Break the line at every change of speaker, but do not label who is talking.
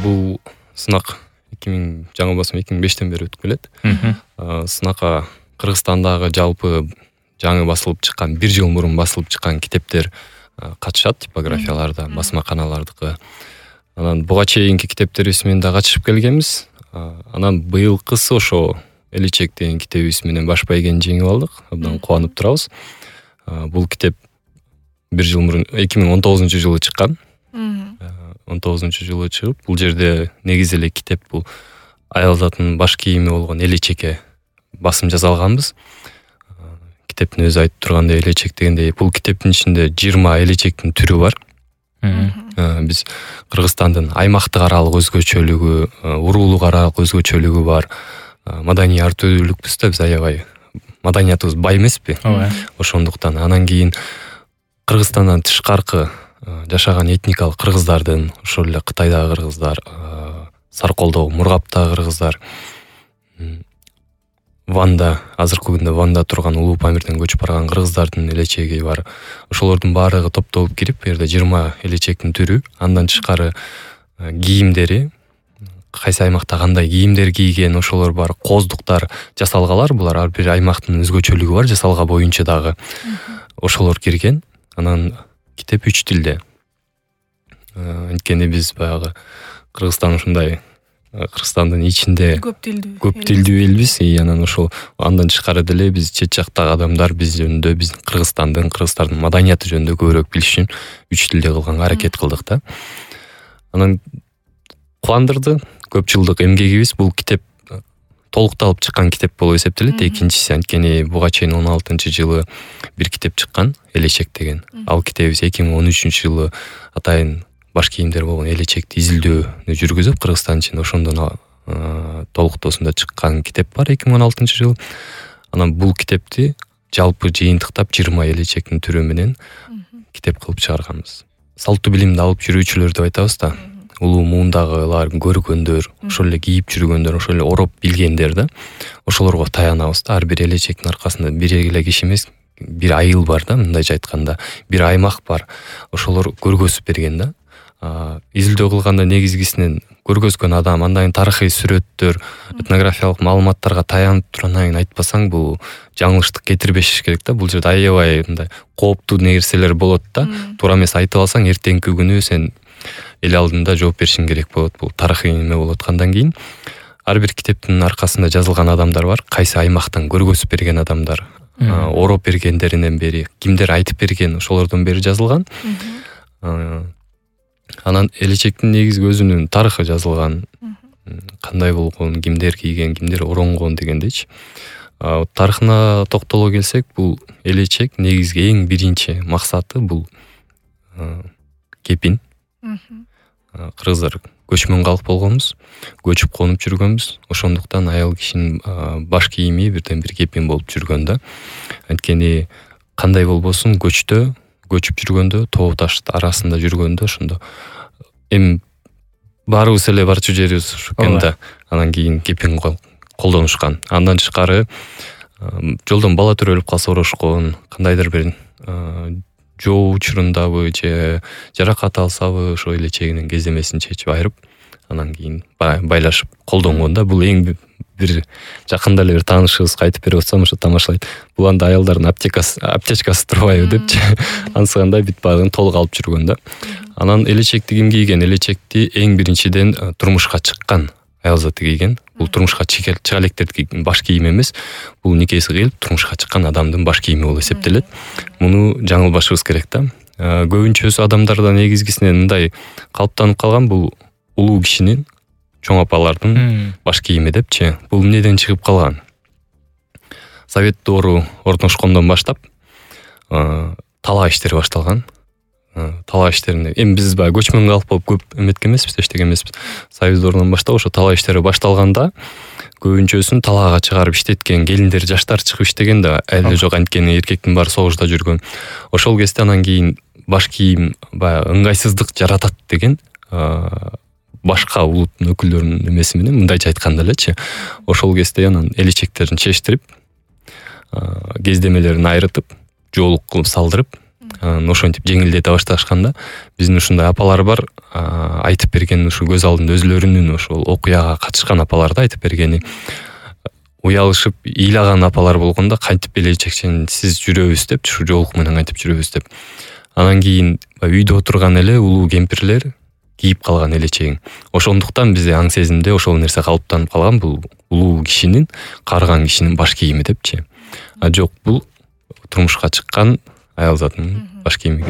бул сынак 2005-тен бери өтүп келет. Сынакка Кыргызстандагы жалпы жаңы басылып чыккан, 1 жыл мурун басылып чыккан китептер катышат, типографияларда, басмаканалардыкы. Анан буга чейинки китептерибиз менен да катышып келгенбиз. Анан быйылкысы ошо Элечек деген китебибиз менен баш байгени жеңип алдык. Абдан кубанып турабыз. Бул китеп 1 жыл мурун 2019-жылы чыккан. 19-жылы чыгып, бул жерде негизи эле китеп бул аял затынын баш кийими болгон элечекке басым жасалганбыз. Китептин өзү айтып тургандай, элечек дегенде бул китептин ичинде 20 элечектин түрү бар. Биз Кыргызстандын аймактык аралык өзгөчөлүгү, уруулук аралык өзгөчөлүгү бар. Маданий ар түрдүүлүкпүз да, биз аябай маданиятыбыз бай эмеспи? Ошондуктан анан кийин Кыргызстандан тышкаркы жашаган этникалык кыргыздардын, ошол эле Кытайдагы кыргыздар, Сарколдогу, Мургаптагы кыргыздар, Ванда, азыркы күндө Ванда турган Улуу Памирден көчүп барган кыргыздардын элечеги бар. Ошолордун баардыгы топтолуп кирип, бу жерде 20 элечектин түрү, андан тышкары кийимдери, кайсы аймакта кандай кийимдер кийген, ошолор бар, коздуктар жасалгалар, булар ар бир аймактын өзгөчөлүгү бар, жасалга боюнча дагы. Ошолор кирген. Анан китеп 3 тилде. Анткени биз баягы Кыргызстан ушундай Кыргызстандын ичинде көп тилдүү элбиз. Анан ошол андан тышкары деле биз чет жактагы адамдар биз жөнүндө, биз Кыргыздын маданияты жөнүндө көбүрөөк билиш үчүн 3 тилде кылганга аракет кылдык да. Анан кубандырды. Көп жылдык эмгегибиз, бул китеп толукталып чыккан китеп болуп эсептелет. Экинчиси, анткени буга чейин 16-жылы бир китеп чыккан, Элечек деген. Ал китебибиз 2013-жылы атайын баш кийимдер болгон элечекти изилдөөнү жүргүзүп, Кыргызстан ичинде ошондон толуктоосунда чыккан китеп бар 2016-жылы. Анан бул китепти жалпы жыйынтыктап 20 элечектин түрү менен китеп кылып чыгарганбыз. Салттуу билимди алып жүрүүчүлөр деп айтабыз да. Улуу муундагылар, көргөндөр, ошол эле кийип жүргөндөр, ошол эле ороп билгендер да. Ошолорго таянабыз да. Ар бир элечектин аркасында бир эле киши эмес, бир айыл бар да, мындайча айтканда, бир аймак бар. Ошолор көргөзүп берген да. Изилдөө кылганда негизгисинен көргөзгөн адам, андан тарыхый сүрөттөр, этнографиялык маалыматтарга таянып туруп айтпасаң, бул жаңылыштык кетирбеш керек да. Бул жерде аябай мындай кооптуу нерселер болот да. Туура эмес айтып алсаң, эртеңки күнү сен эл алдында жооп беришиң керек болот. Бул тарыхый неме болуп аткандан кийин ар бир китептин аркасында жазылган адамдар бар. Кайсы аймактан көргөзүп берген адамдар, ороп бергендеринен бери, кимдер айтып берген, ошолордон бери жазылган. Анан элечектин негизги өзүнүн тарыхы жазылган. Кандай болгон, кимдер кийген, кимдер оронгон дегендейчи. Тарыхына токтоло келсек, бул элечек негизги эң биринчи максаты бул кепин. Кыргыздар көчмөн калк болгонбуз, көчүп конуп жүргөнбүз. Ошондуктан аял кишинин баш кийими бирден бир кепин болуп жүргөн да. Анткени кандай болбосун, көчүп жүргөндө, тоо таш арасында жүргөндө ошондо эми баарыбыз эле барчу жерибиз ушу экен да. Анан кийин кепин колдонушкан. Андан тышкары жолдон бала төрөлүп калса орошкон, кандайдыр бир жоо учурундабы же жаракат алсабы ошо элечегинин кездемесин чечип айырып, анан кийин байлашып колдонгон да. Бул эң бир жакында эле бир таанышыбыз кайтып берип атсам, ошо тамашалайт. Бул анда аялдардын аптечкасы турбайбы депчи ансыгандай бүт баарын толук алып жүргөн да. Анан элечекти ким кийген? Элечекти эң биринчиден турмушка чыккан аял заты кийген. Бул турмушка чыга электердин баш кийими эмес. Бул никеси кыйылып турмушка чыккан адамдын баш кийими болуп эсептелет. Муну жаңылбашыбыз керек да. Көбүнчөсү адамдарда негизгисинен мындай калыптанып калган, бул улуу кишинин, чоң апалардын баш кийими депчи. Бул эмнеден чыгып калган? Совет доору орношкондон баштап талаа иштери башталган. Талаа иштерине эми биз баягы көчмөн калк болуп көп эметкен эмеспиз, эчтеке эмеспиз. Совет доорунан баштап ошо талаа иштери башталганда көбүнчөсүн талаага чыгарып иштеткен келиндер, жаштар чыгып иштеген да, эле жок, анткени эркектин баары согушта жүргөн. Ошол кезде анан кийин баш кийим баягы ыңгайсыздык жаратат деген башка улуттун өкүлдөрүнүн эмеси менен, мындайча айтканда элечи. Ошол кезде анан элечектерин чечтирип, кездемелерин айрытып, жоолук кылып салдырып, ошентип жеңилдете башташканда биздин ушундай апалар бар, айтып берген ушу көз алдында өзлөрүнүн ошол окуяга катышкан апалар да айтып бергени, уялышып ыйлаган апалар болгондо кантип элечексиз жүрөбүз деп, ушу жоолук менен кантип жүрөбүз деп. Анан кийин үйдө отурган эле улуу кемпирлер кийип калган элечегин. Ошондуктан бизде аң сезимде ошол нерсе калыптанып калган, бул улуу кишинин, карыган кишинин баш кийими депчи. Жок, бул турмушка чыккан аял затынын баш кийими.